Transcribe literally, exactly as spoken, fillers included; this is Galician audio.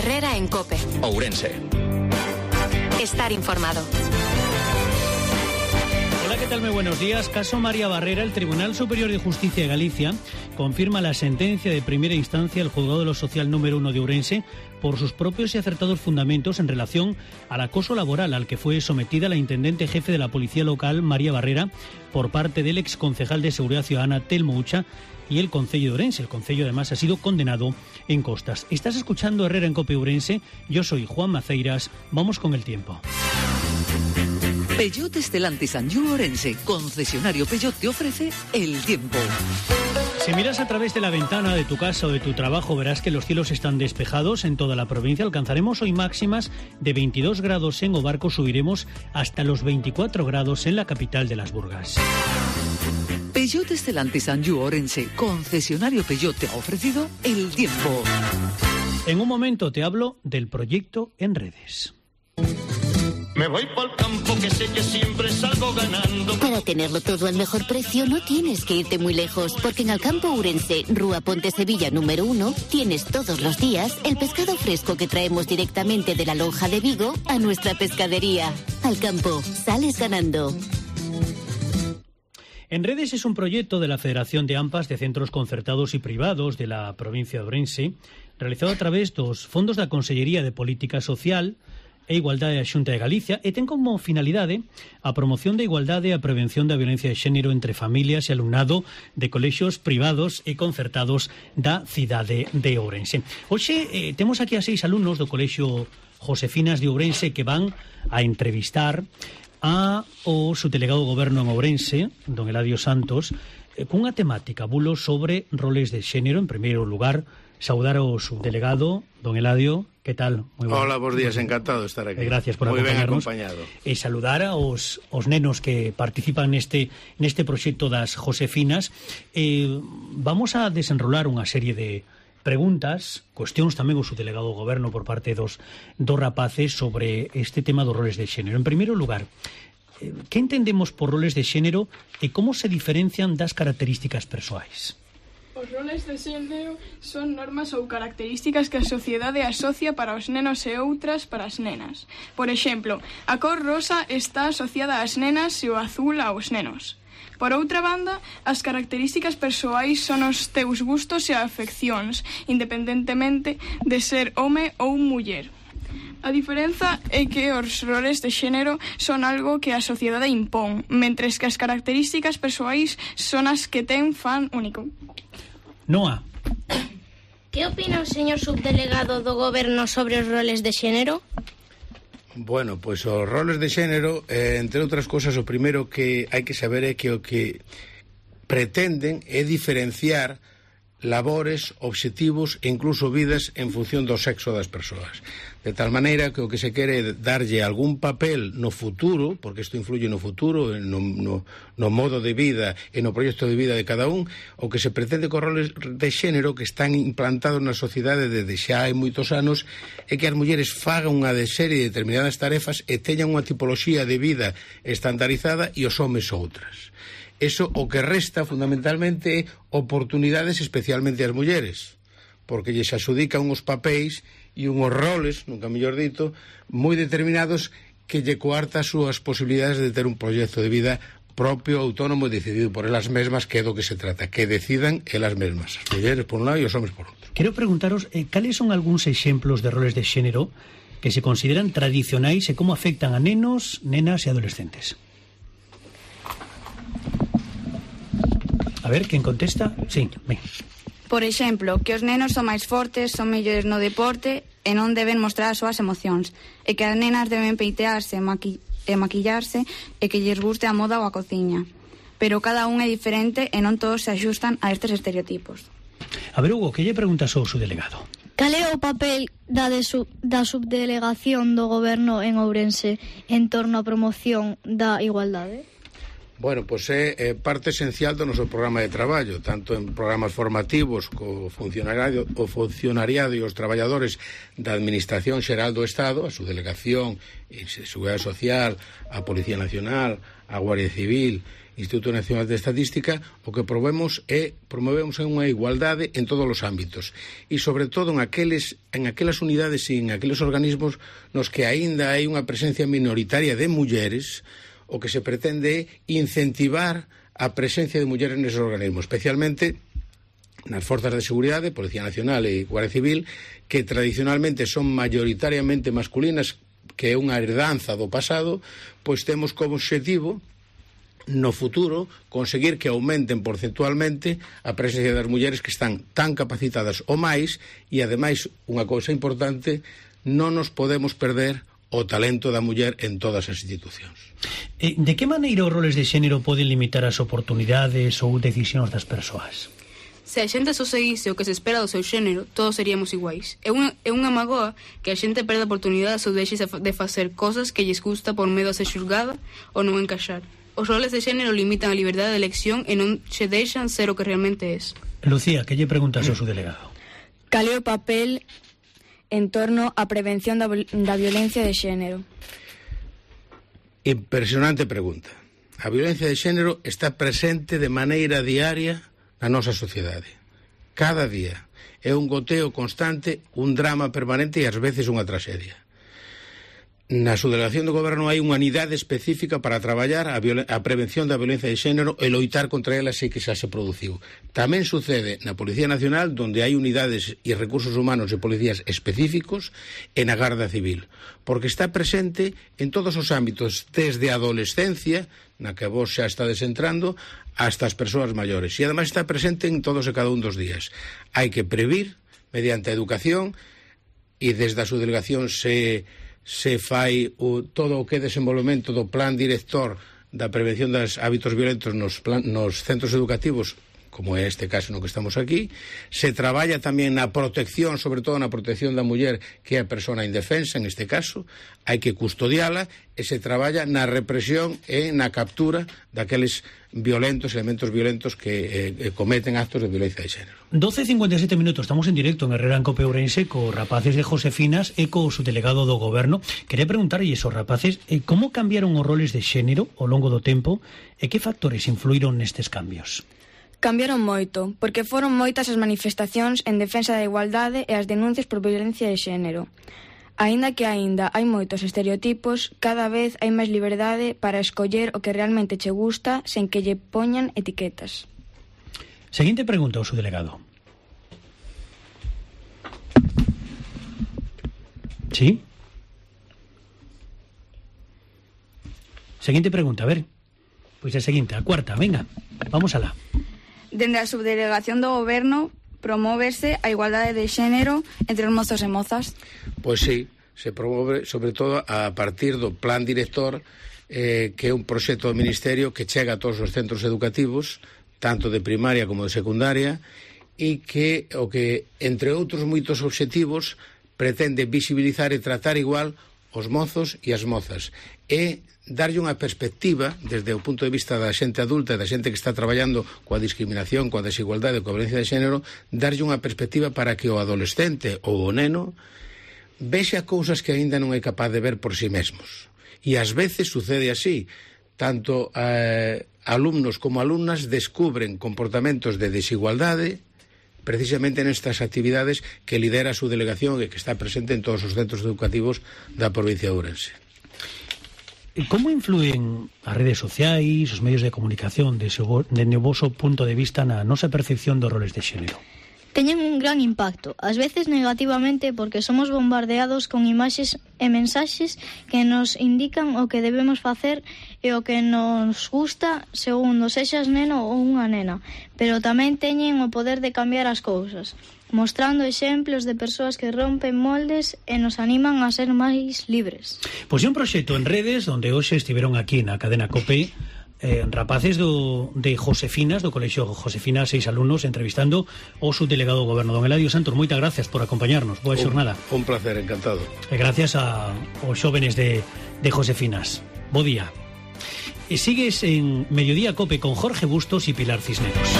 Herrera en COPE. Ourense. Estar informado. Hola, ¿qué tal? Muy buenos días. Caso María Barrera. El Tribunal Superior de Justicia de Galicia confirma la sentencia de primera instancia del Juzgado de lo Social número uno de Ourense por sus propios y acertados fundamentos en relación al acoso laboral al que fue sometida la intendente jefe de la Policía Local, María Barrera, por parte del exconcejal de Seguridad Ciudadana, Telmo Ucha, y el Concello de Ourense. El Concello, además, ha sido condenado en costas. Estás escuchando Herrera en COPE Ourense. Yo soy Juan Maceiras. Vamos con el tiempo. Peugeot Stellantis Anjou Ourense, concesionario Peugeot, te ofrece el tiempo. Si miras a través de la ventana de tu casa o de tu trabajo, verás que los cielos están despejados en toda la provincia. Alcanzaremos hoy máximas de veintidós grados en Obarco, subiremos hasta los veinticuatro grados en la capital de las Burgas. Peugeot Stellantis Anjou Ourense, concesionario Peugeot, te ha ofrecido el tiempo. En un momento te hablo del proyecto en redes. Me voy pa'l campo que sé que siempre salgo ganando. Para tenerlo todo al mejor precio no tienes que irte muy lejos, porque en Alcampo Ourense, Rúa Ponte Sevilla número uno, tienes todos los días el pescado fresco que traemos directamente de la lonja de Vigo a nuestra pescadería. Alcampo, sales ganando. En redes es un proyecto de la Federación de AMPAs de Centros Concertados y Privados de la provincia de Ourense, realizado a través dos fondos da Consellería de Política Social e Igualdade da Xunta de Galicia, e ten como finalidade a promoción da igualdade e a prevención da violencia de xénero entre familias e alumnado de colexios privados e concertados da cidade de Ourense. Hoxe eh, temos aquí a seis alumnos do colexio Josefinas de Ourense que van a entrevistar a o subdelegado do Goberno en Ourense, don Eladio Santos, eh, cunha temática, bulos sobre roles de xénero. En primeiro lugar, saudar ao subdelegado, don Eladio. Que tal? Muy bueno. Hola, bons días, encantado de estar aquí. Eh, gracias por Muy acompañarnos. Ben acompañado. E saludar aos, aos nenos que participan neste, neste proxecto das Josefinas. Eh, vamos a desenrolar unha serie de preguntas, cuestións tamén o subdelegado do Goberno por parte dos, dos rapaces sobre este tema dos roles de xénero. En primeiro lugar, eh, que entendemos por roles de xénero e como se diferencian das características persoais? Os roles de xénero son normas ou características que a sociedade asocia para os nenos e outras para as nenas. Por exemplo, a cor rosa está asociada ás nenas e o azul aos nenos. Por outra banda, as características persoais son os teus gustos e afeccións, independentemente de ser home ou muller. A diferenza é que os roles de xénero son algo que a sociedade impón, mentres que as características persoais son as que ten fan único. Noa. Que opina o señor subdelegado do Goberno sobre os roles de xénero? Bueno, pois os roles de xénero, eh, entre outras cousas, o primeiro que hai que saber é que o que pretenden é diferenciar labores, obxectivos e incluso vidas en función do sexo das persoas. De tal maneira que o que se quere é darlle algún papel no futuro, porque isto influye no futuro, no, no, no modo de vida e no proxecto de vida de cada un. O que se pretende con roles de xénero que están implantados na sociedade desde xa hai moitos anos é que as mulleres fagan unha de serie de determinadas tarefas e teñan unha tipoloxía de vida estandarizada e os homes outras. Eso o que resta fundamentalmente oportunidades especialmente ás mulleres, porque lles adxudican uns papéis e unhos roles, nunca mellor dito, moi determinados que lle coarta as súas posibilidades de ter un proxecto de vida propio, autónomo e decidido por elas mesmas, que é do que se trata, que decidan elas mesmas, as mulleres por un lado e os homes por outro. Quero preguntaros, eh, cales son algúns exemplos de roles de xénero que se consideran tradicionais e como afectan a nenos, nenas e adolescentes? A ver, quen contesta? Sí, ben. Por exemplo, que os nenos son máis fortes, son mellores no deporte e non deben mostrar as súas emocións, e que as nenas deben peitearse e, maqui e maquillarse e que lles guste a moda ou a cociña. Pero cada un é diferente e non todos se axustan a estes estereotipos. A ver, Hugo, que lle preguntas ao subdelegado? Cal é o papel da, de sub, da subdelegación do Goberno en Ourense en torno á promoción da igualdade? Bueno, pois é, é parte esencial do noso programa de traballo, tanto en programas formativos co funcionariado, o funcionariado e os traballadores da Administración Xeral do Estado, a subdelegación, a Seguridade Social, a Policía Nacional, a Guardia Civil Instituto Nacional de Estadística, o que promovemos é promovemos unha igualdade en todos os ámbitos e sobre todo en aqueles en aquelas unidades e en aqueles organismos nos que aínda hai unha presencia minoritaria de mulleres. O que se pretende é incentivar a presencia de mulleres neses organismos, especialmente nas forzas de seguridade, Policía Nacional e Guardia Civil, que tradicionalmente son mayoritariamente masculinas, que é unha herdanza do pasado, pois temos como objetivo no futuro conseguir que aumenten porcentualmente a presencia das mulleres que están tan capacitadas ou máis, e ademais unha cousa importante, non nos podemos perder o talento da muller en todas as institucións. De que maneira os roles de xénero poden limitar as oportunidades ou decisións das persoas? Se a xente só seguise o que se espera do seu xénero, todos seríamos iguais. É unha, é unha magoa que a xente perda oportunidades ou deixe de facer cosas que lles gusta por medo a ser xulgada ou non encaixar. Os roles de xénero limitan a liberdade de elección e non se deixan ser o que realmente es. Lucía, que lle preguntas ao seu delegado? Cal é o papel en torno á prevención da, da violencia de xénero? Impresionante pregunta. A violencia de xénero está presente de maneira diaria na nosa sociedade. Cada día é un goteo constante, un drama permanente e ás veces unha traxedia. Na subdelegación do Goberno hai unha unidade específica para traballar a, a prevención da violencia de xénero e loitar contra ela se que xa se produciu. Tamén sucede na Policía Nacional, donde hai unidades e recursos humanos e policías específicos, e na Garda Civil, porque está presente en todos os ámbitos, desde a adolescencia, na que vos xa estades entrando, hasta as persoas maiores. E ademais está presente en todos e cada un dos días. Hai que previr mediante a educación, e desde a subdelegación se... se fai o, todo o que é desenvolvemento do plan director da prevención dos hábitos violentos nos, plan, nos centros educativos, como é este caso no que estamos aquí. Se traballa tamén na protección, sobre todo na protección da muller, que é a persona indefensa, en este caso, hai que custodiala, e se traballa na represión e na captura daqueles violentos, elementos violentos que eh, cometen actos de violencia de xénero. doce e cincuenta e sete minutos, estamos en directo en Herrera en Cope Ourense co rapaces de Josefinas e co subdelegado do Goberno. Quería preguntarlle esos rapaces, eh, como cambiaron os roles de xénero ao longo do tempo e que factores influíron nestes cambios? Cambiaron moito, porque foron moitas as manifestacións en defensa da igualdade e as denuncias por violencia de xénero. Aínda que aínda hai moitos estereotipos, cada vez hai máis liberdade para escoller o que realmente che gusta sen que lle poñan etiquetas. Seguinte pregunta ao subdelegado. ¿Sí? Seguinte pregunta, a ver. Pois a seguinte, a cuarta, venga, vamos alá. Dende a subdelegación do Goberno promóvese a igualdade de xénero entre os mozos e mozas? Pois sí, se promove sobre todo a partir do plan director, eh, que é un proxecto do Ministerio que chega a todos os centros educativos, tanto de primaria como de secundaria, e que o que, entre outros moitos obxectivos, pretende visibilizar e tratar igual os mozos e as mozas, e darlle unha perspectiva desde o punto de vista da xente adulta e da xente que está traballando coa discriminación, coa desigualdade, coa violencia de xénero, darlle unha perspectiva para que o adolescente ou o neno vexa cousas que aínda non é capaz de ver por si mesmos. E ás veces sucede así, tanto eh, alumnos como alumnas descubren comportamentos de desigualdade precisamente nestas actividades que lidera a súa delegación e que está presente en todos os centros educativos da provincia de Ourense. Como influen as redes sociais, os medios de comunicación, desde o voso punto de vista na nosa percepción dos roles de xénero? Teñen un gran impacto, ás veces negativamente, porque somos bombardeados con imaxes e mensaxes que nos indican o que debemos facer e o que nos gusta segundo sexas neno ou unha nena, pero tamén teñen o poder de cambiar as cousas, mostrando exemplos de persoas que rompen moldes e nos animan a ser máis libres. Pois é un proxecto en redes onde hoxe estiveron aquí na cadena COPE eh, rapaces do, de Josefinas, do Colexio Josefinas, seis alumnos, entrevistando o subdelegado do Goberno, don Eladio Santos. Moitas gracias por acompañarnos. Boa xornada. Un, un placer, encantado. E gracias a, aos xóvenes de, de Josefinas. Bo día. E sigues en Mediodía Cope con Jorge Bustos e Pilar Cisneros.